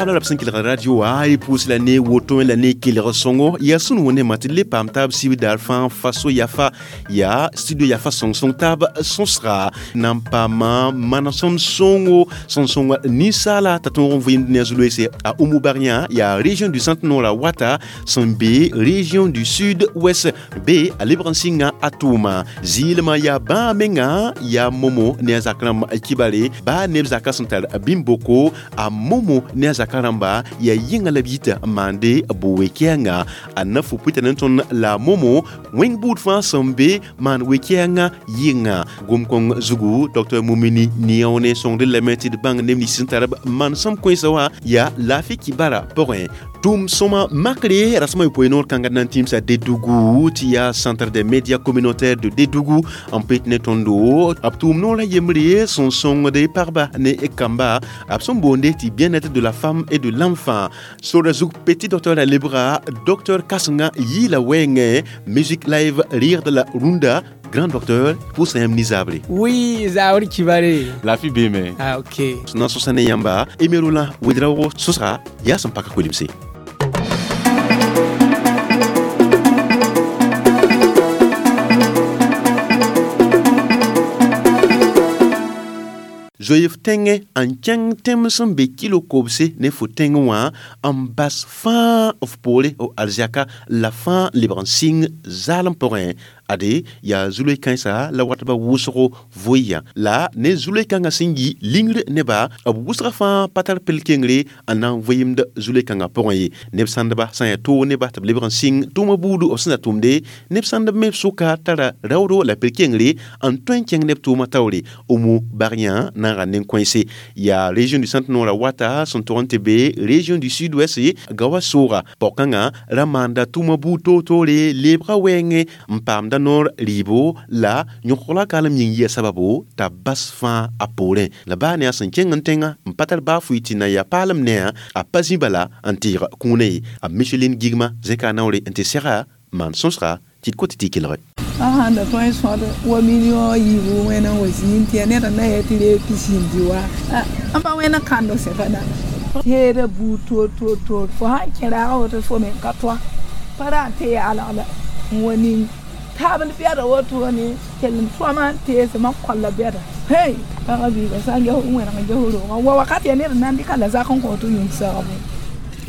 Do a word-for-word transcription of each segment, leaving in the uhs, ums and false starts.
Taab la b sẽn kelg radio wã y pʋʋs la ne woto la ne kelg sõngo yaa sũn wẽnde tɩ le paam taab sib daar fãa faso yafa yaa studio yafa sõng-sõng taab sõsga na n paama manesem sõngo sẽn sõng ninsaala t'a tõog n vɩɩmd ne a zu-loeese a Oumou Barian yaa région du centre nord a wata sẽn be région du sud ouest be a lebg n sɩnga a tʋʋma zɩɩlmã yaa bãa menga yaa momo ne a zak rãmb kibare baa neb zaka sẽn tar bĩm-boko a momo ne a zaka rãmba yaa yĩnga la b yita n maande bo-we-kɛɛngã a na fo pʋɩta ne tõnd la momo wẽng buud fãa sẽn be maan we-kɛɛngã yɩnga gom-kõng zugu docteur Mumini Niaone sõngd lame tɩ d bãng neb nins sẽn tar b manesem kõensã wã yaa laafɩ kibara pʋgẽ tʋʋm sõma makre rasẽma yopoe noor kãnga na n tĩmsa Dédougou tɩ yaa centre des médias communautaires de Dédougou n pet ne tõndo b tʋʋm noorã yembre sẽn sõngd pagba ne kamba b sẽn boonde tɩ bien-être de la femme et de l'enfant sora zug petit docteur a lebga docteur kãsenga yɩɩla wɛɛngẽ musique live rire de la runda grand docteur pʋʋsa yãmb nizabre. Oui, Zaori Kibare. Laafɩ beeme. Ah, ok. Na sõsa ne yãmba Emerola Wedraogo sõsga yaa sẽn paka kolemse. Zoeef tẽngẽ n kẽng tẽm sẽn be kilo kobse ne fo tẽng wã n bas fãa f poore f arzɛka la fãa n lebg n sɩng zaalem pʋgẽ ade yaa zu-loe kãensa la watba wʋsgo voɩyã la ne zu-loe kãngã sẽn yi lingr neba b wʋsga fãa pa tar pel-kengre n na n vɩɩmd zu-loe kãngã pʋgẽ ye neb sãndba sã n yaa toog neba tɩ b lebg n sɩng tʋʋmã buudu b sẽn da tʋmde neb sãndb me sʋka tara raoodo la pel-kengre n tõe n kẽng neb tʋʋmã taoore Oumou Barian na n ra nen-kõense yaa région du centre nord a wata sẽn tog n tɩ be région du sud ouest gawa sooga pao-kãngã ra maanda tʋʋmã buud toor-toore lebga wɛɛngẽ n paamda noor rɩɩbo la yõkg la kaalem yĩng yia sababo t'a bas fãa a poorẽ la baa ne a sẽn kẽng n tẽngã n pa tar baa fʋɩ tɩ na yaa paalem ne-a a pa zĩ bala n tɩɩg kũunã ye a Micheline Gigma zẽka a naoore n tɩ sɛga maan sõsga tɩ d kot tɩ kelge. A sãn da tõe n sõd wa million yiibu wẽna n wa zĩig tɩ yaa ned n na yaa tɩ reeg pisin dɩ wa n pa wẽna kãndo sẽka dãmba teeda buud toor toor toor fo sãn kẽ raaga woto fo me ka toa pa ra n tɩ yaalg la n wa ning taabl bɛda wotone kell n tõama n teesmã kolla bɛda hey pagã biiga sã n ges wẽneg n ges roogã wa wakat yaa ned n na n dɩka la zak n kõ tɩ yũud sagbo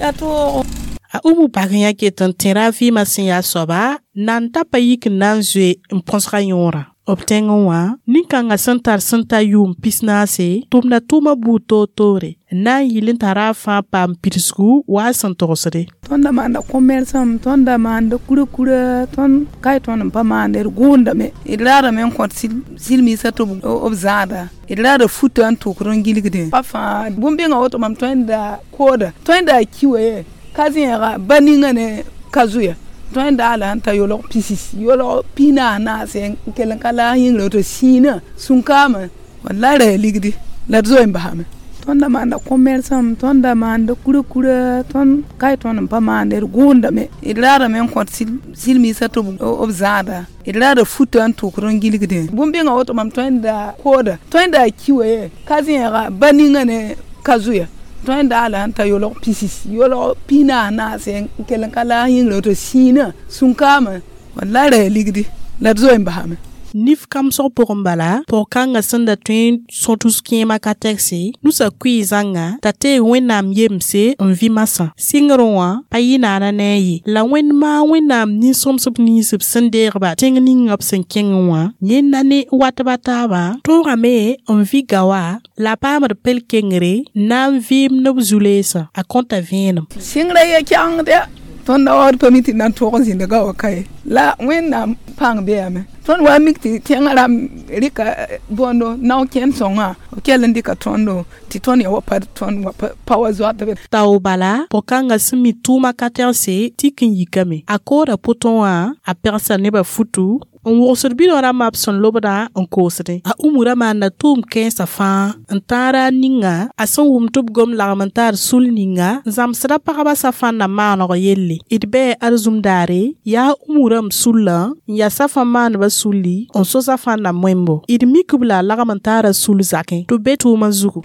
yaa toogo. A Oumou Barian ket n tẽra a vɩɩmã sẽn yaa soaba na n ta pa yik n na n zoe n põsga yõorã b tẽngẽ wã nin-kãngã sẽn tar sẽn ta yʋʋm pis-naase tʋmda tʋʋmã buud toor-toore n na n yɩl n tara a fãa paam pidsgu wa a sẽn togsde. Tõnd da maanda commerçant tõnd da maanda kura-kura tõnd kae tõnd n pa maanda d gʋʋndame d raadame n kõt silmiisã tɩ b zãada d raada futa n tʋkd n gilgdẽ pa fãa bũmb-bĩngã woto mam tõe n da kooda tõe n da ki wa ye ka zẽega ba ninga ne ka zoya tõe n daala n ta yolg pisis yolg pis-naas naase n kell n ka laas yĩngrã woto sĩinã sũnkaamã wallay ra yaa ligdi la d zoe n basame tõnd da maanda commerçant tõnd da maanda kura-kura tõnd kae tõnd n pa maanda d gʋʋndame d raadame n kõt silmiisã tɩ b zãada d raada futa n tʋkd n gilgdẽ bũmb-bĩngã woto mam tõe n da kooda tõe n da ki wa ye ka zẽega ba ninga ne ka zoya tõe n daala n ta yolg pisis yolg pis-naas naase n kell n ka laas yĩngrã woto sĩinã sũnkaamã wallay ra yaa ligdi la d zoe n basame. Nif kamsg pʋgẽ bala pʋg-kãngã sẽn da tõe n sõtus kẽemã ka tɛgse nusa kʋɩ zãnga t'a teeg Wẽnnaam yemse n vɩ masã sɩngrẽ wã pa yɩ naana ne a ye la wẽnd maa Wẽnnaam nin-sõmsb nins b sẽn deegba tẽng ninga b sẽn kẽngẽ wã yẽnda ne watba taabã tõogame n vɩ gawa la a paamd pel-kengre n na n vɩɩm ne b zu-leesã a kõta vẽenem. Sɩngrã ye kɛgengd ya tõnd da waood pa mi tɩ na n tʋg n zĩnda gaoã ka ye la Wẽnnaam pãng beame tõnd wa mik tɩ tẽngã rãmb rɩka bõndo nao kẽnd sõngã b kell n dɩka tõndo tɩ tõnd ya wa pa tõnd wa pa wa zoatbe. Tao bala pʋg-kãngã sẽn mi tʋʋmã ka tɛgse tik n yikame a kooda pʋtõ wã a pegsa nebã futu n wʋgsd bidõ rãmbã b sẽn lobdã n koosdẽ a Oumou ra maanda tʋʋm kãensã fãa n tãara a ninga a sẽn wʋm tɩ b gom lagm n taar sul ninga n zãmsda pagba safãnda maaneg yelle d bɩ arzũm daare yaa Oumou rãmb sullã n yaa safã maandbã sulli n so safãnda moembo d mik-b la a lagm n taara sul zakẽ tɩ b be tʋʋmã zugu.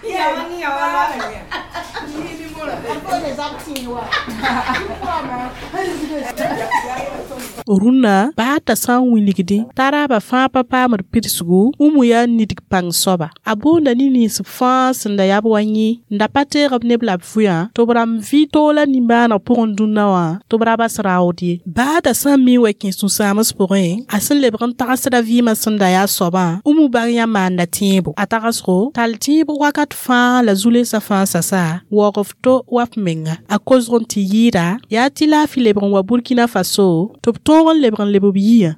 Rũnnã baa t'a sã n wilgdẽ t'a raaba fãa pa paamd pidsgu Umu yaa nidg pãng soaba. A boonda ne nins fãa sẽn da yaa b wa yẽ n da pa teeg b neb la b vʋyã tɩ b rãmb vɩ toola nimbãaneg pʋgẽ dũnna wã tɩ b ra bas raood ye. Baa t'a sã n mi wa kẽ sũ-sãams pʋgẽ, a sẽn lebg n tagsda vɩɩmã sẽn da yaa soabã, Umu bãng yã maanda tẽebo. A tagsgo tall tẽeb wakat fãa la zu-lensã fãa sasa waoog f to wa f menga. A kosg n tɩ yɩɩda yaa tɩ laafɩ lebg n wa Burkina Faso tɩ b tõog n lebg n leb b yiyã.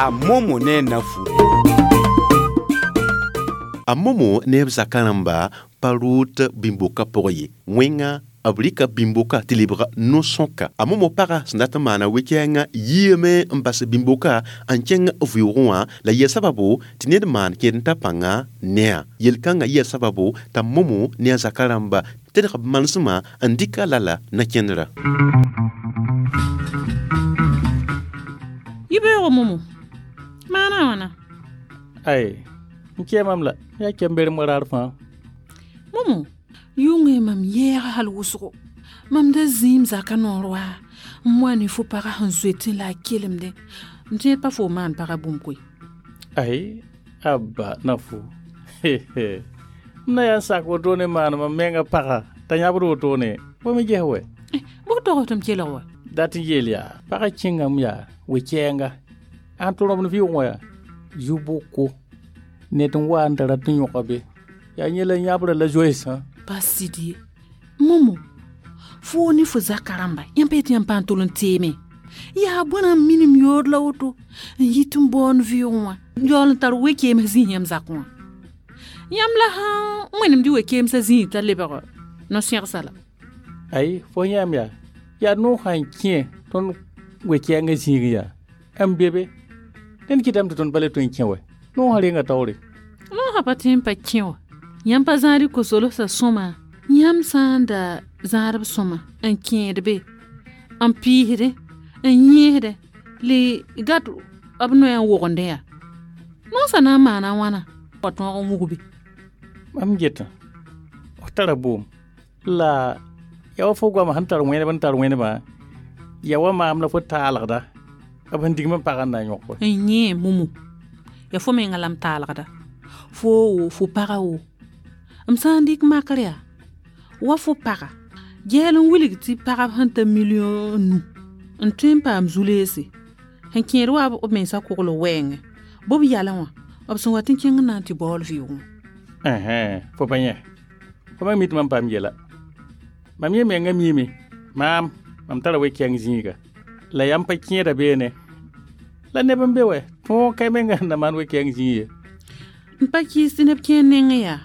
A Momo ne Nafu. A Momo ne b zaka rãmba pa rʋʋt bĩmboka pʋgẽ ye. Wẽnga b rɩka bĩmboka tɩ lebga no-sõka. A Momo paga sẽn dat n maana we-kɛɛngã yiame n bas bĩmboka n kẽng vɩʋʋgẽ wã la yɩa sababo tɩ ned maan kẽed n ta pãnga ne-a. Yel-kãngã yɩa sababo t'a Momo ne a zaka rãmba tedg b manesmã n dɩk a lala na-kẽndrã. Yibeoogo Momo, maana a wãna? Ai, n kɛɛ mam la, yaa kɛmber moraar fãa. Momo, yʋngẽ mam yɛɛga hal wʋsgo. Mam da zĩim zaka noor wa n wa ne fo paga sẽn zoetẽ la a kelemdẽ. M tẽed pa fo maan paga bũmb koe. Ai, abba Nafu. M na yaa n sak wotone maan mam menga paga t'a yãbd wotone. Bõe me ges wɛ? Bʋg tog tɩ m kelg wa? Dat n yeel yaa, pagã kẽngame yaa we-kɛɛnga. Ãn tʋ rõmd vɩʋʋgẽ wã yaa zu-boko ned n wa n da rat n yõka be. Yaa yẽ la yãbrã la zoeesã. Pa sɩd ye. Momo, foo ne fo zaka rãmba, yãmb pa yetɩ yãmb pa n tol n teeme. Yaa bõna n minim yood la woto n yit n baoond vɩʋʋgẽ wã n yaool n tar we-keems zĩis yãmb zakẽ wã. Yãmb la sãn wẽnemd y we-keemsã zĩig t'a lebg no-sẽgsa la. Ai, fo yãmb yaa, yaa noog sã n kẽ tõnd we-kɛɛngã zĩig yaa, n be be. Ned kɩtame tɩ tõnd pa le tõe n kẽ wɛ. Noog sã renga taoore. Noog sã pa tõe n pa kẽ wa. Yãmb pa zãad y kosolsã sõma. Yãmb sã n da zãadb sõma n kẽed be, n piisdẽ, n yẽesdẽ, le gat b noya n wogende yaa. Noog sã na n maana wãna wa tõog n wug be. Mam getã, f tara boom. La yaa wa fo goamã sẽn tar wẽneb n tar wẽnebã, yaa wa maam la fo taalgda b sẽn digm n pagã n na n yõk. N yẽ Momo, yaa fo menga la m taalgda. Fo wo, fo paga wo. M sã n dɩk makr yaa, wa fo paga gɛɛl n wilg tɩ pagb sẽn ta million nu n tõe n paam zu-leese sẽn kẽed wa b mensã kogl wɛɛngẽ. Bɩ b yalẽ wã, b sẽn wat n kẽng n na n tɩ baool vɩʋʋgẽ. Ɛhɛn, fo pa yẽ. Fo ma mi tɩ mam paam yɛla. Mam yẽ menga miime, maam, mam tara we-kɛɛng zĩiga. La yãmb pa kẽeda beene. La neb n be wɛ, tõog ka menga sẽn na maan we-kɛɛng zĩig ye. N pa kɩɩs tɩ neb kẽer nengẽ yaa,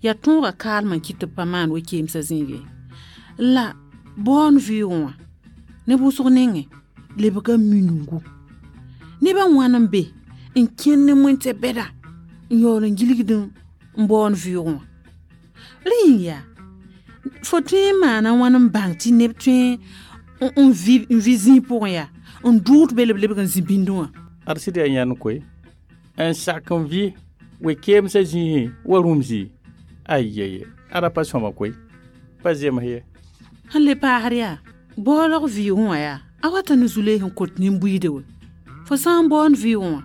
yaa tõogã kaalmã n kɩt tɩ b pa maan we-keemsã zĩig ye. La baoond vɩʋʋgẽ wã, neb wʋsg nengẽ lebga minungu. Nebã wãn n be n kẽnd ne wẽn-tɛ-bɛda n yaool n gilgd n baoond vɩʋʋgẽ wã. Rẽ yĩng yaa, fo tõe n maana wãn n bãng tɩ neb tõe n vɩ n vɩ zĩig pʋgẽ yaa, n dʋʋd be la b lebg n zĩ bĩndẽ wã. Ad sɩd yaa yãnd koe, n sak n vɩ we-keemsã zĩisẽ wa rũm zĩig. Ayeye, ada pa sõma koe, pa zems ye. Sẽn le paasd yaa, baoolg vɩʋʋgẽ wã yaa, a wata ne zu-lees n kot nin-buiide wɛ. Fo sã n baoond vɩʋʋgẽ wã,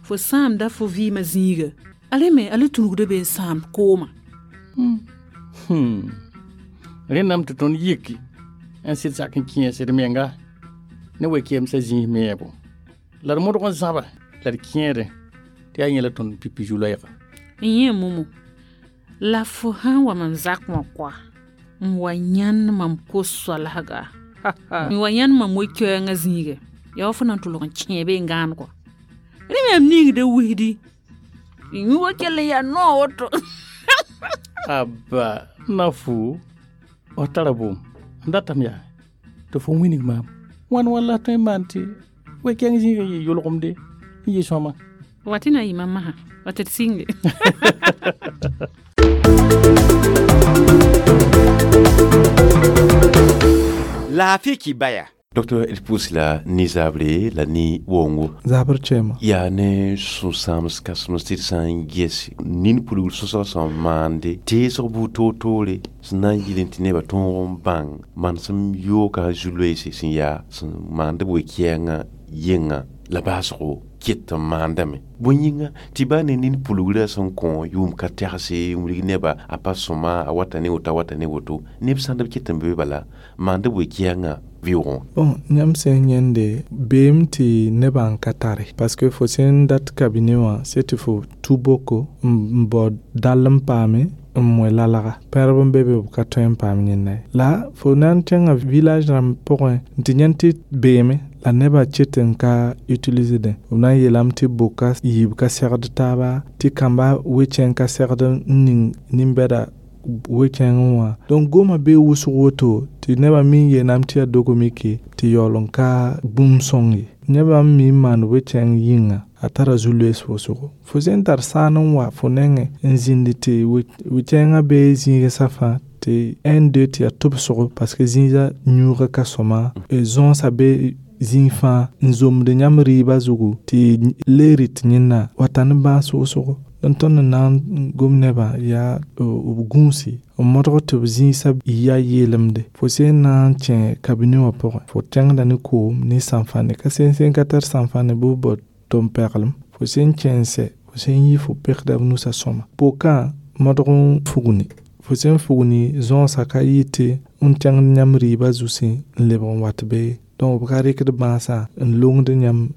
fo sãamda fo vɩɩmã zĩiga. A re me a le tũnugda be n sãam koomã. Hmm. Rẽndame tɩ tõnd yiki n sɩd sak n kẽes d menga ne we-keemsã zĩis meebo. La d modg n zãba la d kẽedẽ tɩ yaa yẽ la tõnd pipi zu-loɛɛga. N yẽ Momo, la fo sãn wa mam zak wã koa, n wa yãnd mam kos-soalsga. N wa yãnd mam we-koɛɛngã zĩiga, yaa wa fo na n tʋlg n kẽe be n gãan koa. Rẽ me m ningda wisdi. Yũ wa kell n yaa noog woto. Abba, Nafu, f tara boom. M datame yaa tɩ fo wilg maam. Wãn wãn la tõe n maan tɩ we-kɛɛng zĩigã yɩ yʋlgemde n yɩ sõama. Wa tɩ na n yɩ mam masã, wa tɩ d sɩnge. Laafɩ kibaya. Docteur d pʋʋs la ne zaabre la ne waoongo zabr kɛɛma yaa ne sũ-sãams kãsems tɩ d sã n ges nin pulgr sõsg sẽn maande teesg buud toor-toore sẽn na n yɩl n tɩ nebã tõog n bãng manesem yooga zu-loeese sẽn yaa sẽn maand b we-kɛɛngã yẽnga la baasgo ket n maandame bõe yĩnga tɩ baa ne nin pulgrã sẽn kõ yʋʋm ka tɛgse n wilg nebã a pa sõma a wata ne woto a wata ne woto neb sãnd b ket n be bala maand b we-kɛɛngã vɩʋʋgẽ bon yãmb sẽn yẽnde beem tɩ nebã n ka tare parce que fo sẽn dat cabinet wã se tɩ fo tu boko n bao dall n paame n moe lalga pẽrb n be be b ka tõe n paam yẽnda ye la fo na n kẽngã village rãmb pʋgẽ n tɩ yãnd tɩ beeme la nebã ket n ka utilisdẽ b na n yeelame tɩ boka yiib ka segd taaba tɩ kãmba we-kẽng ka segd n ning nin-bɛda we-kẽngẽ wã donc goma bee wʋsg woto tɩ nebã mi n yeelame tɩ yaa dogmike tɩ yaool n ka bũmb sõng ye nebã n mi n maan we-kẽng yĩnga a tara zu-loees wʋsgo fo sẽn tar saan n wa fo nengẽ n zĩnd tɩ we-kẽngã bee zĩigsã fãa tɩ un deux tɩ yaa tʋbsgo parce que zĩigã yũuga ka sõma zõosã be zĩig fãa n zomd yãmb rɩɩbã zugu tɩ le rɩt yẽnna wata ne bãas wʋsgo n tõnd n na n gom nebã yaa b gũusi n modg tɩ b zĩisã ya yeelemde fo sẽn na n kẽ cabinet wã pʋgẽ fo kẽngda ne koom ne sãnfãne ka sẽn sẽn ka tar sãnfãne bɩ b bao tʋm-pɛglem fo sẽn kẽ n sɛ fo sẽn yi fo pekda b nusã sõma pokã modg n fugni fo sẽn fugni zõosã ka yɩ tɩ n kẽngd yãmb rɩɩbã zusẽ n lebg n wat be donc b ka rɩkd bãasã n longd yãmb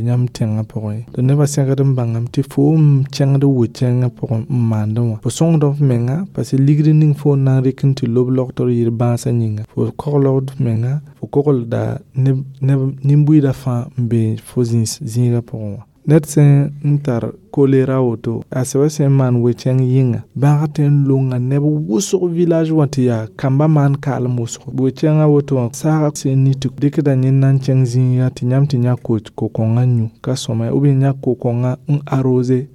yãmb tẽngã pʋgẽ tɩ nebã sẽgd n bãngame tɩ fo n kẽngd we-kẽngã pʋgẽ n maandẽ wã fo sõngd f menga parce que ligd ning fo n na n rɩk n tɩ lob logtr yɩɩr bãasã yĩnga fo koglgd f menga fo koglda nin-buiidã fãa n be fo zĩigã pʋgẽ wã ned sẽn n tar kolera woto a sɛba sẽn maan we-kẽng yĩnga bãag tɩ n longa neb wʋsg village wã tɩ yaa kamba maan kaalem wʋsgo we-kẽngã woto wã saaga sẽn ni tɩ dɩkda yẽnda n kẽng zĩiga tɩ yãmb tɩ yã ko-kõngã yũ ka sõma ou bien yã ko-kõngã n arose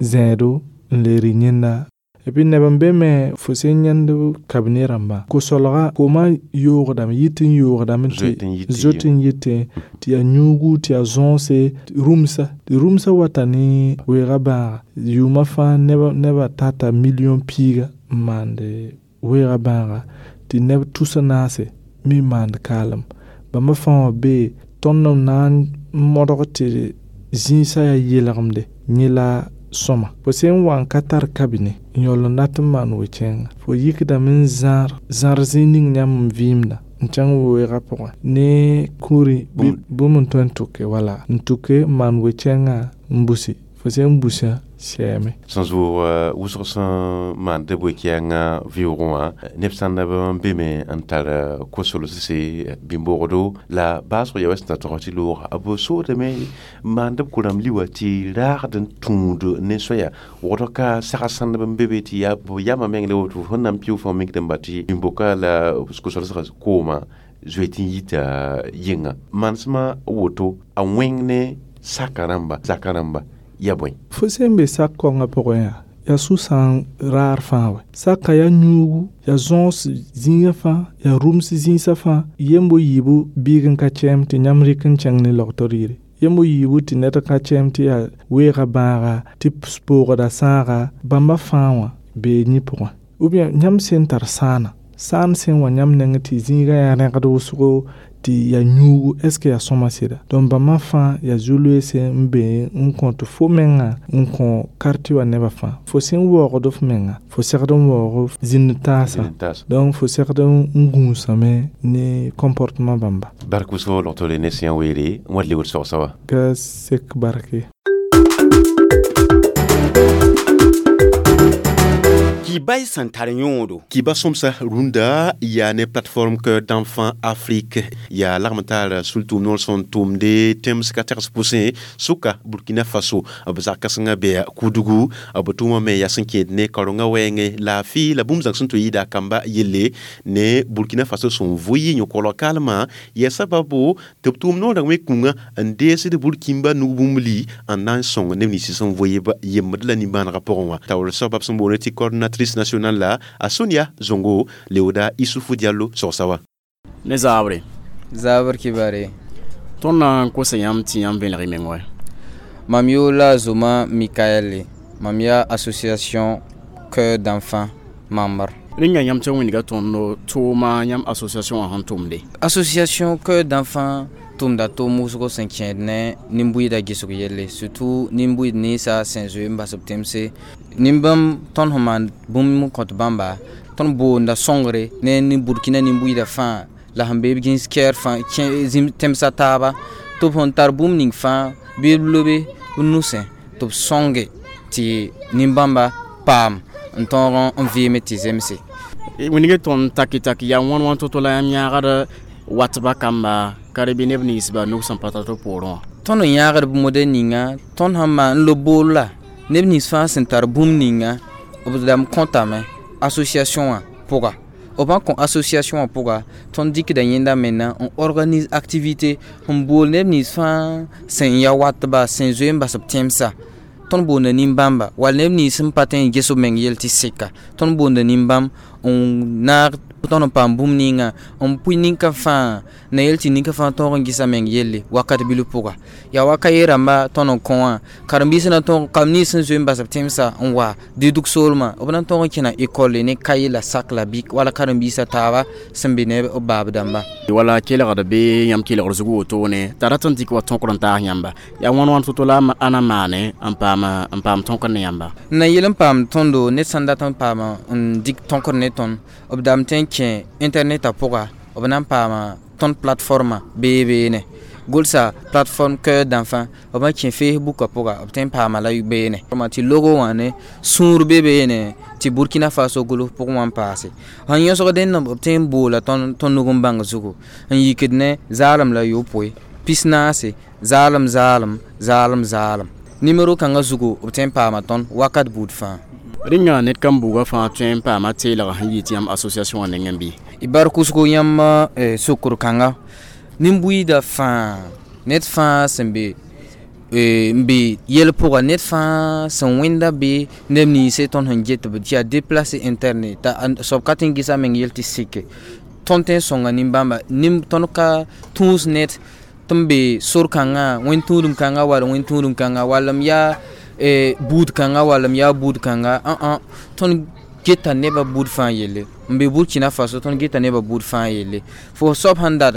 zẽedo n le rɩ yẽnda et puis neb n be me fo sẽn yãnd cabinet rãmbã ko-solga koomã yoogdame yit n yoogdame tɩ zoet n yitẽ tɩ yaa yũugu tɩ yaa zõose rũmsa tɩ rũmsã wata ne weega bãaga yʋʋmã fãa nebã tata million piiga n maand weega bãaga tɩ neb tusa naase mi maand kaalem bãmba fãa wã bee tõnd n na n modg tɩ zĩisã yaa yelgemde yẽ la sõma fo sẽn wa n ka tar cabinet n yaool n dat n maan we-kẽnga fo yikdame n zãr zãr zĩig ning yãmb n vɩɩmda n kẽng weoogã pʋgẽ ne kũuri bũmb n tõe n tʋke wala n tʋke n maan we-kẽngã n busi fo sẽn busã sɛɛme sẽn zʋʋg wʋsg sẽn maand b we-kɛɛngã vɩʋʋgẽ wã neb sãndb n be me n tar ko-solsse bĩn-bogdo la baasg ya wa sẽn ta tog tɩ looga b soodame maand b ko-rãmb li wã tɩ raagd n tũud ne soaya wogd ka sag sãndb n be be tɩ yaa b yamã meng la woto sẽn na n pɩʋ fãa mikd n ba tɩ bĩn-boka la ko-solsgã koomã zoe tɩ n yita yɩnga manesmã woto a wẽng ne saka rãmba zaka rãmba ya bõe fo sẽn be sak kaongã pʋgẽ yaa yaa sũ-sã raar fãa wɛ saka yaa yũugu yaa zõos zĩigã fãa yaa rũms zĩisã fãa yembo yiibu biig n ka kɛɛm tɩ yãmb rɩk n kẽng ne logtr yire yembo yiibu tɩ ned ka kɛɛm tɩ yaa weega bãaga tɩ poogda sãaga bãmba fãa wã bee yẽ pʋgẽ ou bien yãmb sẽn tar sãana sãan sẽn wa yãmb neng tɩ zĩigã yaa rẽgd wʋsgo tɩ yaa yũugu est ce que yaa sõma sɩda donc bãmba fãa yaa zu-loeese n be n kõt fo menga n kõ quartier wã nebã fãa fo sẽn waoogd f menga fo segd n waoog zĩnd taasã donc fo segd n gũusame ne comportement bãmba bark wʋsgo logtore ne sẽn weere n wa lebd sogsa wa ka sek barke Kiba y sẽn tar yõodo. Kiba sõmsa rũndã yaa ne plateforme Cœur d'enfant Afrique yaa lagm tar sul-tʋʋm noor sẽn tʋmde tẽms ka tags pʋsẽ sʋka Burkina Faso b zag kãsengã bɩ Kudugu b tʋʋmã me yaa sẽn kẽed ne kaorengã wɛɛngẽ laafɩ la bũmb zãng sẽn tɩ yɩɩda kamba yelle ne Burkina Faso sẽn vʋ yɩ yõ-kolg kalmã yaa sababu tɩ b tʋʋm noorã wẽ-kũngã n deesd burkĩmba nug-bũmb-li n na n sõng neb nins sẽn vʋɩ yembd la nimbãanegã pʋgẽ wã taoor soabab sẽn boond tɩ coordinatrice nationale la a Sonia Zongo leooda Isufu Diallo sogsa wa ne zaabre Zabr kibare. Tõnd na n kosa yãmb tɩ yãmb vẽelg y meng wɛ? Mam yoola Zoma Mikael, mam yaa association Cœur d'enfant membre. Rẽnga yãmb tɩ wĩnga tõnd tʋʋma yãmb association wã sẽn tʋmde. Association Cœur d'enfant tʋmda tʋʋm wʋsgo sẽn kẽed ne nin-buiidã gesg yelle, surtout nin-buiid ninsã sẽn zoe n bas b tẽmse. Nin-bãmb tõnd sẽn maan bũmb n kõt bãmba, tõnd boonda sõngre ne nin Burkina nin-buiidã fãa la sẽn be b gĩs kɛɛr fãa kẽ tẽmsã taaba tɩ b sẽn tar bũmb ning fãa bɩ b lobe b nusẽ tɩ b sõnge tɩ nin-bãmba paam n tõog n vɩɩme tɩ zemse. Wĩnga tõnd taki taki yaa wãn wãn to-to la yãmb yãagd watba kamba ka bɩ neb ninsba nug sẽn pa tar tɩ poorẽ wã. Tõnd n yãagd b modɛl ninga tõnd sẽn maan n lob bool la neb nins fãa sẽn tar bũmb ninga b dãmb kõtame association wã pʋga. B sã kõ association wã pʋga tõnd dɩkda yẽnda menga n organise activité n bool neb nins fãa sẽn ya watba sẽn zoe n bas b tẽmsã. Tõnd boonda nin-bãmba wall neb nins sẽn pa tõe n ges b meng yell tɩ seka tõnd boonda nin-bãmb n naag tõnd n paam bũmb ninga n pʋɩ ninka fãa na yel tɩ ninka fãa tõog n gesa meng yelle wakat bilf pʋga. Yaa waka ye rãmba tõnd n kõ wã karen-biisã na tõog kam nins sẽn zoe n bas b tẽmsã n wa dɩdg soolmã b na tõog n kẽna ekɔlle ne kaye la sak la bik wala karen-biisã taaba sẽn be ne b baab dãmba. Wala kelgd bɩ yãmb kelgd zug wotone t'a rat n dɩk wa tõkr n taas yãmba yaa wãn wãn to-to la a na maane n paam n paam tõkr ne yãmba. N na yel n paam tõndo ned sãn dat n paama n dɩk tõkr ne tõnd b dam tõe n kẽ internetã pʋga b na n paama tõnd plateforme bee beene gʋlsa plateforme Cœur d'enfant b na kẽ Facebookã pʋga b tõe n paama la beene tɩ logo wã ne sũur be beene tɩ Burkina Faso gʋls pʋgẽ wã n paase. Sẽn yõsg dẽnd b tõe n boola tõnd nug n bãng zugu n yikd ne zaalem la yopoe pis naase zaalem zaalem zaalem zaalem nimero kãngã zugu b tõe n paama tõnd wakat buud fãa. Rẽnga ned kam buugã fãa tõe n paama teelg sẽn yɩ tɩ yãmb association wã nengẽ bɩ? Y bar kʋsgo yãmb sokr kãnga nin-buiidã fãa ned fãa sẽn be n be yɛl pʋga ned fãa sẽn wẽnda be neb ninse tõnd sẽn get b tɩ yaa déplacé interne t'a soab ka tõe n gesa meng yell tɩ seke tõnd tõe n sõnga nin-bãmba tõnd ka tũus ned tɩ n be sor kãngã wẽn-tũudum kãnga wall wẽn-tũudum kãnga wall m yaa buud kãnga wall m yaa buud kãnga ã tõnd geta nebã buud fãa yelle n be Burkina Faso tõnd geta nebã buud fãa yelle fo soab sãn dat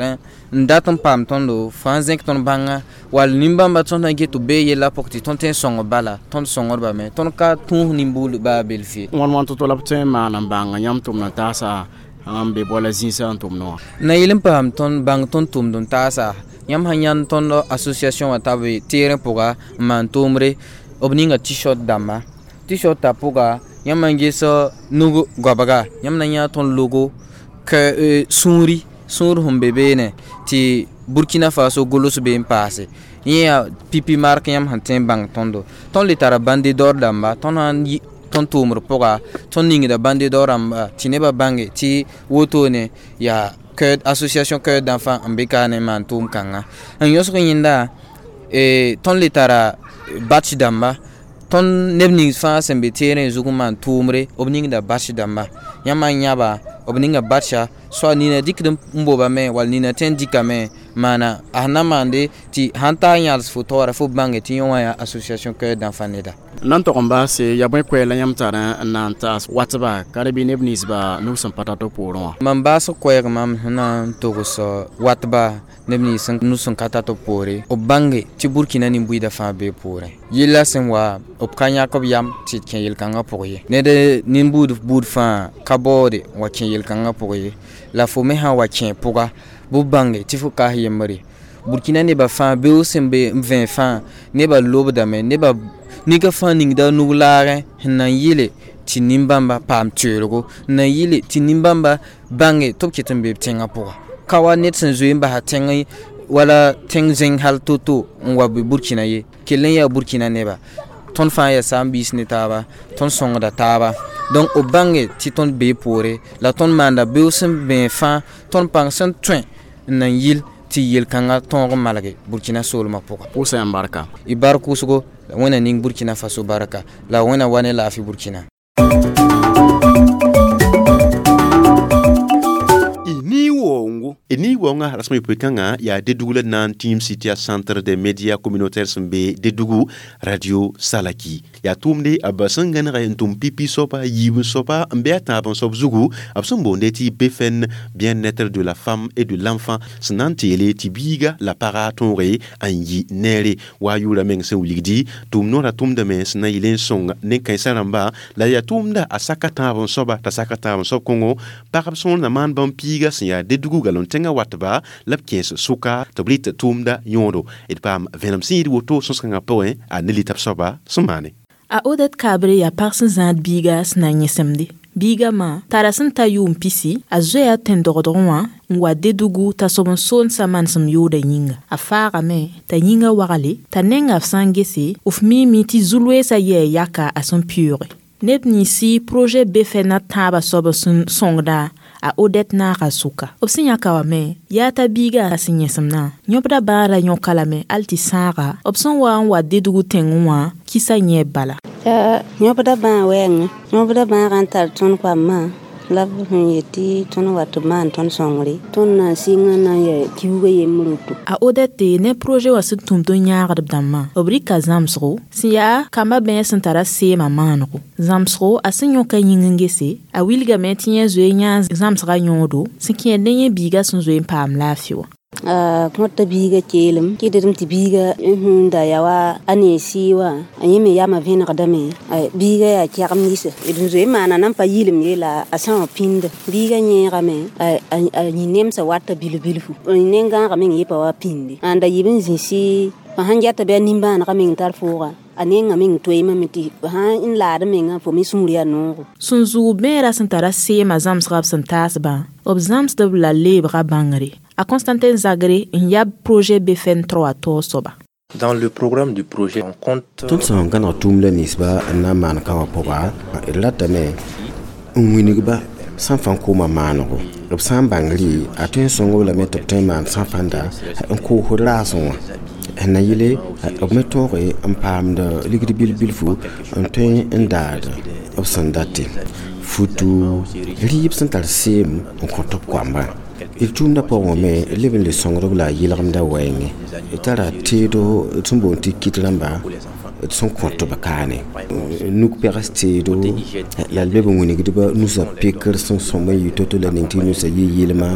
n dat n paam tõndo fãa zẽk tõnd bãnga wall nin-bãmba tõnd sã get tɩ b bee yella pʋg tɩ tõnd tõe n sõng bala tõnd sõngdbame tõnd ka tũus nin-buud baa belf ye. Wãn wãn to-to la b tõe n maan n bãng yãmb tʋmd n taasa n be boala zĩisã n tʋmd wã. Na yel n paam tõnd bãng tõnd tʋmd n taasa yãmb sãn yãnd tõnd association wã t'a be terẽ pʋga n maan tʋʋmre b ninga t-shirt dãmba t-shirt t'a pʋga yãmb n ges nug goabga yãmb na yã tõnd logo ka sũuri sũur sẽn be beene tɩ Burkina Faso gʋls be n paase yẽ yaa pipi mark yãmb sẽn tõe n bãng tõndo tõnd le tara bande d'or dãmba tõnd sãn tõnd tʋʋmd pʋga tõnd ningda bande d'or rãmba tɩ nebã bãnge tɩ wotone yaa cœur association Cœur d'enfant n be ka ne maan tʋʋm kãnga n yõsg yẽnda tõnd le tara batch dãmba tõnd neb nins fãa sẽn be terẽ zug n maan tʋʋmre b ningda batch dãmba yãmb n yãba b ninga batcha soa nina dɩkd n bobame wall nina tõe n dɩkame maana a sẽn na maande tɩ sãn ta n yãls fo taoora fo bãnge tɩ yẽ wã yaa association Cœur d'enfant neda. N na n tog n baase yaa bõe koɛɛg la yãmb tar n na n taas watba ka bɩ neb ninsba nug sẽn pa tar tɩ poorẽ wã. Mam baasg koɛɛg mam sẽn na n togs watba neb nins nus sẽn ka tar tɩ poore b bãnge tɩ Burkina nin-buiidã fãa bee poorẽ yella sẽn wa b ka yãk b yam tɩ d kẽ yel-kãngã pʋg ye ned nin-buud buud fãa ka baoode n wa kẽ yel-kãngã pʋg ye la fo me sã n wa kẽ pʋga bɩ bãnge tɩ fo kaas yembre Burkina nebã fãa beoog sẽn be n vẽ fãa nebã lobdame nebã nika fãa ningda nug laagẽ sẽn na n yɩle tɩ nin-bãmba paam toeelgo n na n yɩle tɩ nin-bãmba bãnge tɩ b ket n be b tẽngã pʋga ka wa ned sẽn zoe n basa tẽng wala tẽng zẽng hal to-to n wa be Burkina ye kell n yaa Burkina neba tõnd fãa yaa saam-biis ne taaba tõnd sõngda taaba donc b bãnge tɩ tõnd bee poore la tõnd maanda beoog sẽn bẽ fãa tõnd pãng sẽn tõe n na n yɩl tɩ yel-kãngã tõog n malge Burkina soolmã pʋga. Pʋʋsa yãmb barka. Y bark wʋsgo la Wẽnna ning Burkina Faso barka la Wẽnna wa ne laafɩ Burkina. Ni wongo Ni waoongã rasem yopoe kãngã yaa Dédougou la na n tĩim sɩ tɩ yaa centre des médias communautaires sẽn be Dédougou radio Salaki yaa tʋʋmde b sẽn gãneg n tʋm pipi soaba yiib n soaba n be a tãab n soab zugu b sẽn boonde tɩ B F N, bien-être de la femme et de l'enfant, sẽn na n teele tɩ biiga la paga tõoge n yi neere wa a yʋʋra meng sẽn wilgdi tʋʋm noorã tʋmdame sẽn na yɩl n sõng nen-kãensã rãmba la yaa tʋʋmda a saka tãab n soaba t'a saka tãab n soab kõngo pagb sõor na maan bãmb piiga sẽn yaa Dédougou galon tẽngã watba la b kẽes sʋka tɩ b rɩt tʋʋmda yõodo d paam vẽenem sẽn yɩɩd woto sõs-kãngã pʋgẽ a ne lita b soaba sẽn maane. A Odette Kabre yaa pag sẽn zãad biiga sẽn na yẽsemde. Biiga mã tara sẽn ta yʋʋm pisi a zoea tẽn-dogdgẽ wã n wa Dédougou t'a sob n soonsa manesem yooda yĩnga. A faagame t'a yĩnga wagle t'a nenga f sã n gese f miime tɩ zu-loeesã yɛɛ yaka a sẽn pɩʋʋge. Neb ninsi projet B F N a tãabã soab sẽn sõngdã a Odette naaga sʋka. B sẽn yãka wa me yaa t'a biiga a sẽn yẽsemdã yõbda bãada yõka lame hal tɩ sãaga b sẽn wa n wa Dédougou tẽngẽ wã kɩsa yẽ bala. Yõbda bãa wɛɛngẽ yõbda bãagã n tar tõnd koamã la b sẽn yetɩ tõnd wat b maan tõnd sõngre tõnd na n sɩng n na n yɛ kiuugã yembr woto. A Odette ne projet wã sẽn tũmd n yãagd b dãmbã b rɩka zãmsgo sẽn yaa kambã bẽes sẽn tara seemã maanego zãmsgo a sẽn yõka yĩng n gese a wilgame tɩ yẽ zoe yãa zãmsgã yõodo sẽn kẽed ne yẽ biiga sẽn zoe n paam laafɩ wã. A kõta biiga keelem kɩdem tɩ biiga n hũunda yaa wa a nee sɩɩ wã a yẽ me yamã vẽnegdame biiga yaa kɛgem nisa d n zoe n maana nan pa yɩlem ye la a sã wã pĩnda biiga yẽegame a yĩ nemsã wata bilf-bilfu nengãagã meng yɩ pa wa pĩndi ãnda yɩb n zĩsi fo sãn geta bɩ a nimbãanegã meng tar fooga a nenga meng toeemame tɩ sã n laad mengã fo me sũur yaa noogo. Sẽn zʋʋg bẽera sẽn tara seemã zãmsga b sẽn taasbã b zãmsdb la leebga bãngre. A Constantin Zagre n yab projet B F N trois taoog soaba. Dans le programme du projet, on compte Tõnd sẽn gãneg tʋʋmda ninsba n na n maan ka wã pʋga d ratame n wilgba sẽn fãa kooma maanego b sã n bãng rɩ a tõe n sõng-b lame tɩ b tõe n maan sã fãnda n koosd raasẽ wã n na yɩle b me tõoge n paamd ligd bil-bilfu n tõe n daad b sẽn date futu rɩɩb sẽn tar seem n kõt b koambã d tʋʋmdã pʋgẽ me leb n le sõngd-b la yɩlgemdã wɛɛngẽ d tara teedo sẽn boond tɩ kit rãmba d sẽn kõt b kaane nuk pegs teedo la d leb n wilgdba nusã pekr sẽn sõm n yɩ to-to la ning tɩ nusã yɩ yɩlma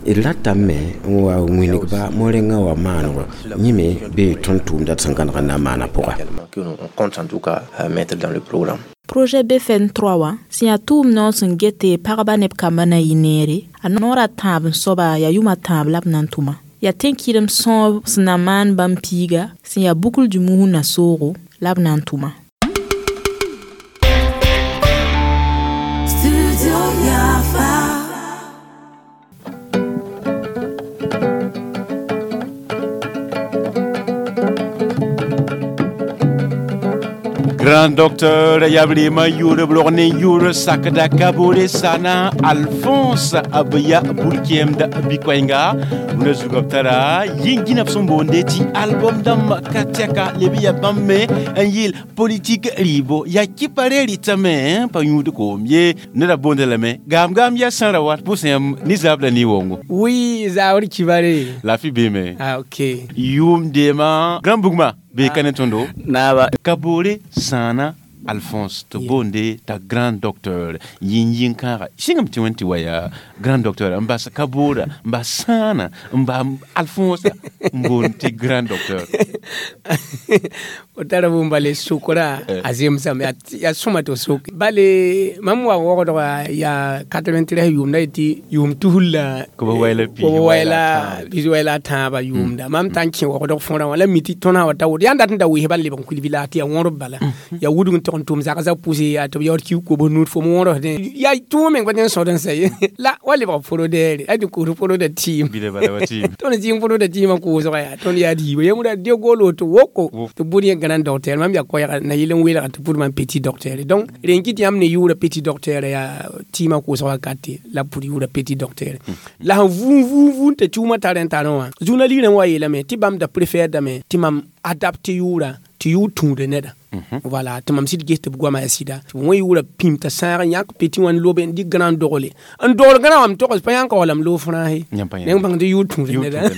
d ratame n wa wilgba mo-rẽngã wa maanego yẽ me bee tõnd tʋʋmda d sẽn gãneg n na n maana pʋga. Que nous, on compte en tout cas mettre dans le programme. Projet B F N trois wã sẽn yaa tʋʋm noor sẽn gete pagba neb kambã na yɩ neere a noorã tãab n soaba yaa yʋma tãab la b na n tʋma yaa tẽn-kɩrem sõob sẽn na maan bãmb piiga sẽn yaa Boucle du Mouhoun na soogo la b na n tʋma. Studio Yafa. Grand docteur Yabrima yʋʋr b rog ne yʋʋr sakda Kabore Sana Alphonse b yaa bul-kẽemd bɩ-koɛɛnga rũndã zugã b tara yĩn-gĩna b sẽn boonde tɩ album dãmb ka tɛka leb n yaa bãmb me n yɩɩl politik rɩɩbo yaa kɩpa re rɩtame pa yũud koom ye neda boonda lame gaam-gaam yaa sãra wat pʋsẽ yãmb nizaab la ne-wongo. Oui, Zaori Kibare. Lafi beeme. Ah, ok. Yʋʋm deema grand bugma be ka ne tõndo naaba. Kabore Sãana Alphonse tɩ boonde t'a grand docteur yĩn-yĩn kãaga sɩngame tɩ wẽn tɩ wa yaa grand docteur n bas Kaboora n bas Sãana n ba Alphonse n boond tɩ grand docteur. O tara bũmb bale sokra a zemsame yaa sõma tɩ f soke bale mam wa wogdga yaa quatre-vingt-treize yʋʋmda yetɩ yʋʋm tusr la kob pis wɛla a tãabã yʋʋmda mam tã n kẽ wogdg fõrã wã la mi tɩ tõna wa ta woto yaa n dat n da wɩsba n leb n kuil village tɩ yaa wõrb bala yaa wudg n tog n tʋm zagsã pʋse yaa tɩ b yaood kiug kobs nuud fo m wõrsdẽ yaa tʋʋg meng pa tẽ n sõd n sa ye la wa lebg forodeere a tɩ koos foroda tɩɩm tõnd zĩng foroda tɩɩmã koosga yaa tõnd yaa diiba yembra de gol woto woko tɩ bʋd yẽ grand docteur mam yaa koɛɛga na yɩl n weelga tɩ pʋd mam petit docteur. Donc rẽn kɩ tɩ yãmb ne yʋʋra petit docteur yaa tɩɩmã koosg wakate la pʋd yʋʋra petit docteur la sẽn vũun vũun vũun tɩ tʋʋmã tar n tarẽ wã journaliste rãmb wa yeelame tɩ bãmb da préfère dame tɩ mam adapte yʋʋra tɩ yʋʋr tũuda neda. Voilà tɩ mam sɩd ges tɩ b goama yaa sɩda tɩ b wẽ yʋʋra pĩm t'a sãag n yãk peti wã n lobe n dɩk grã n dogle n dogl grã wã m togs pa yãnka wala m loog frãase neng bãng tɩ yʋʋr tũud neda.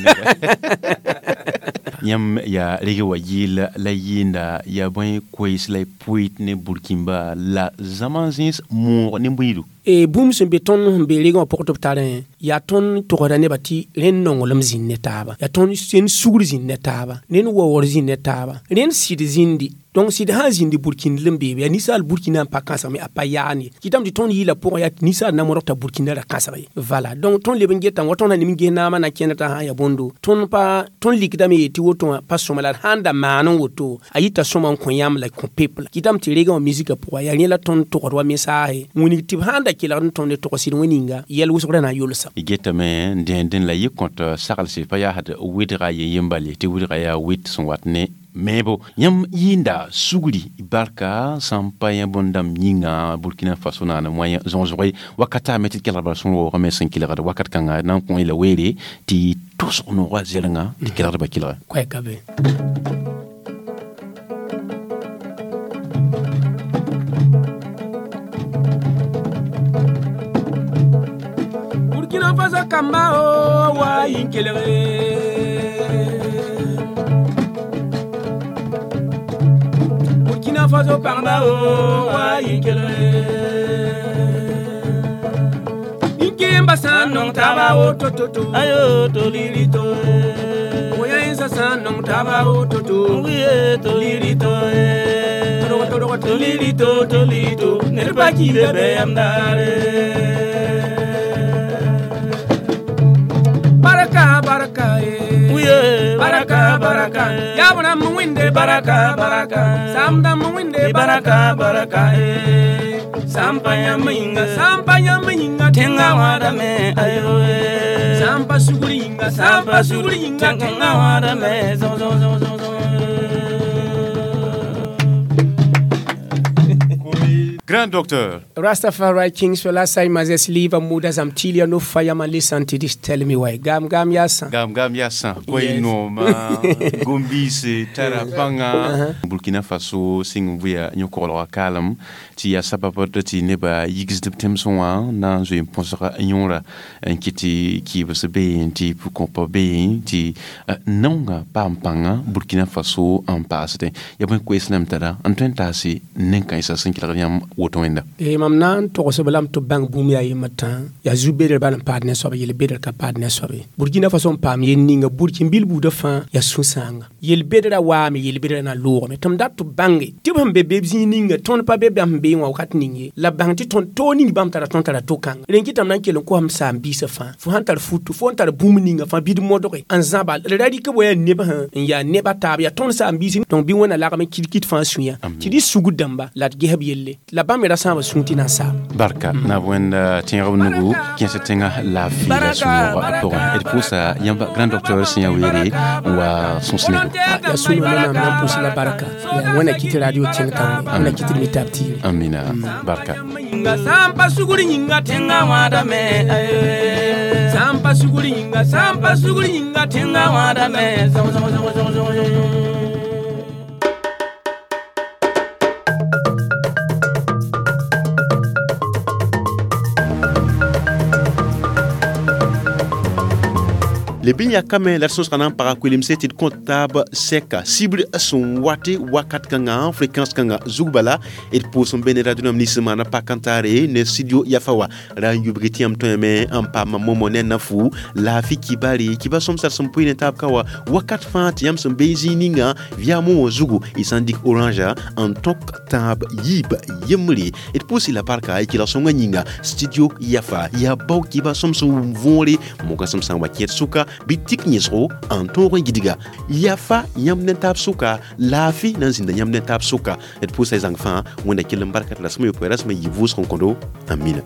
Yãmb yaa reg wa yɩɩl la yɩɩnda yaa bõe koees la y pʋɩt ne Burkina la zãma zẽs moog ne bũidu. E bũmb sẽn be tõnd sẽn be regã wã pʋg tɩ b tarẽ yaa tõnd togsda nebã tɩ rẽnd nonglem zĩnd ne taaba yaa tõnd sẽnd sugr zĩnd ne taaba rẽnd waoogr zĩnd ne taaba rẽnd sɩd zĩndi. Donc sɩd sã n zĩndi burkĩnd n beebe yaa ninsaal burkina n pa kãsgme a pa yaand ye kɩtame tɩ tõnd yɩɩla pʋgã yaa tɩ ninsaal na modg t'a burkina ra kãsg ye. Voilà donc tõnd leb n getame wa tõnd na nem n ges naamã na kẽnd t'a sã n yaa bõndo tõnd pa tõnd likdame yee tɩ woto wã pa sõma la d sãn da maan n woto a yita sõma n kõ yãmb la kõ pepl kɩtame tɩ regã wã misika pʋga yaa rẽ la tõnd togd wa mensaase wĩnig tɩ b sãn da kelgd n tõnd ne togs sɩd wẽ ninga yɛl wʋsgrã na n yolsa. Y getame n dẽendẽ la yɩ kõt saglse pa yaa d wɩdga ye yembal ye tɩ wɩdga yaa wɩt sẽn wat ne meebo yãmb yɩɩnda sugri barka sãn pa yã bõn-dãmb yĩnga Burkina Faso naana wã zõsgo wakata me tɩ d kelgd bala sẽn waoogame sẽn kelgd wakat kãnga na n kõ y la weere tɩ tʋsg noogã zɛrengã tɩ kelgdbã kelge. Koɛɛka be. Burkina Faso kamba o wa yĩn kelge Burkina Faso pagba o wa yĩn kelge Nkemba sã n nong taaba woto-to-to ayo to liri to Woyãensã sã n nong taaba woto-to to liri to Torg torg to liri to to liri to ned pa kiida bɩ yam daare Baraka baraka eh baraka baraka ya bram winde baraka baraka samdam winde baraka baraka eh sampa yaminga sampa yaminga tenga wada me ayo eh sampa suguringa sampa suguringa tenga wada me zo zo zo zo zo. Grand docteur. Rastafari Kings for last time as live muda zamtilia no fire man listen to this tell me why. Gam gam yasa. Gam gam yasa. Koy no ma gombise tarapanga Burkina Faso sing vuya nyokolo kalam ti ya sabab ti neba yigsd temson wa na zo ponsera yonra nkiti ki bse be ti pour kompa be ti nonga pampanga Burkina Faso en passe ya bon ko islam tara antwen tasi nenka isa sin kilga woto wẽnda. Eh mam na n togsb lame tɩ b bãng bũmb yaa yembr tã yaa zu-bedr bal n paad ne soab yel-bedr ka paad ne soab ye. Burkina Faso n paam yel ninga burkin-bil buudã fãa yaa sũ-sãanga yel-bedrã waame yel-bedrã na loogame tɩ m dat tɩ b bãnge tɩ b sẽn be be zĩig ninga tõnd pa be bãmb sẽn beẽ wã wakat ning ye la bãng tɩ tõnd toog ning bãmb tara tõnd tara to-kãnga rẽn kɩtame na n kell n kosam saam-biisã fãa fo sãn tar futu fo n tar bũmb ninga fãa bɩ d modge n zãba d ra rɩk b wa yaa neb sẽn n yaa neb a taab yaa tõnd saam-biisi donc bɩ wẽnna lagm n kɩt-kɩt fãa sũyã tɩ d sugd dãmba la d ges b yelle la bãmb me ra sãaba sũur tɩ na n saam. Barka na wẽnd tẽegb nugu kẽes tẽngã laafɩ la sũ-noogã pʋgẽ d pʋʋsa yãmb grand docteur sẽn yaa weere n wa sõs-nego. Yaa sũ-noog ne maam na n pʋʋs la barka yaa wẽnna kɩt radio kẽng taoore wẽnna kɩt d mi taab tiire. Amina barka. Sã n pa sugr yĩnga tẽngã wãadame sã n pa sugr yĩnga sã n pa sugr yĩnga tẽngã wãadame. Le bin ya kame la sõsga na n paga koelemse tɩ d kõt taab sɛka sibr sẽn wate wakat kãngã fréquence kãngã zug bala d pʋʋs n be ne radio nams nins maana pak n taare ne studio yafa wa ra n yubg tɩ yãmb tõeme n paam momo ne nafu laafɩ kibare kiba sõmsar sẽn pʋɩ ne taab ka wa wakat fãa tɩ yãmb sẽn be zĩig ninga via momo zugu y sã n dɩk orange n tõk tãab yiib yembre d pʋʋs la barka y kelg sõngã yĩnga studio yafa yaa bao kiba sõm sẽn wʋm võore moga sõm sã n wa kẽed sʋka bɩ tik yẽsgo n tõog n gidga yafa yãmb ne taab sʋka laafɩ na n zĩnda yãmb ne taab sʋka d pʋʋsa y zãng fãa wẽnda kell n barka tɩ rasem yopoe rasem yɩ vʋʋsg n kõdo amina.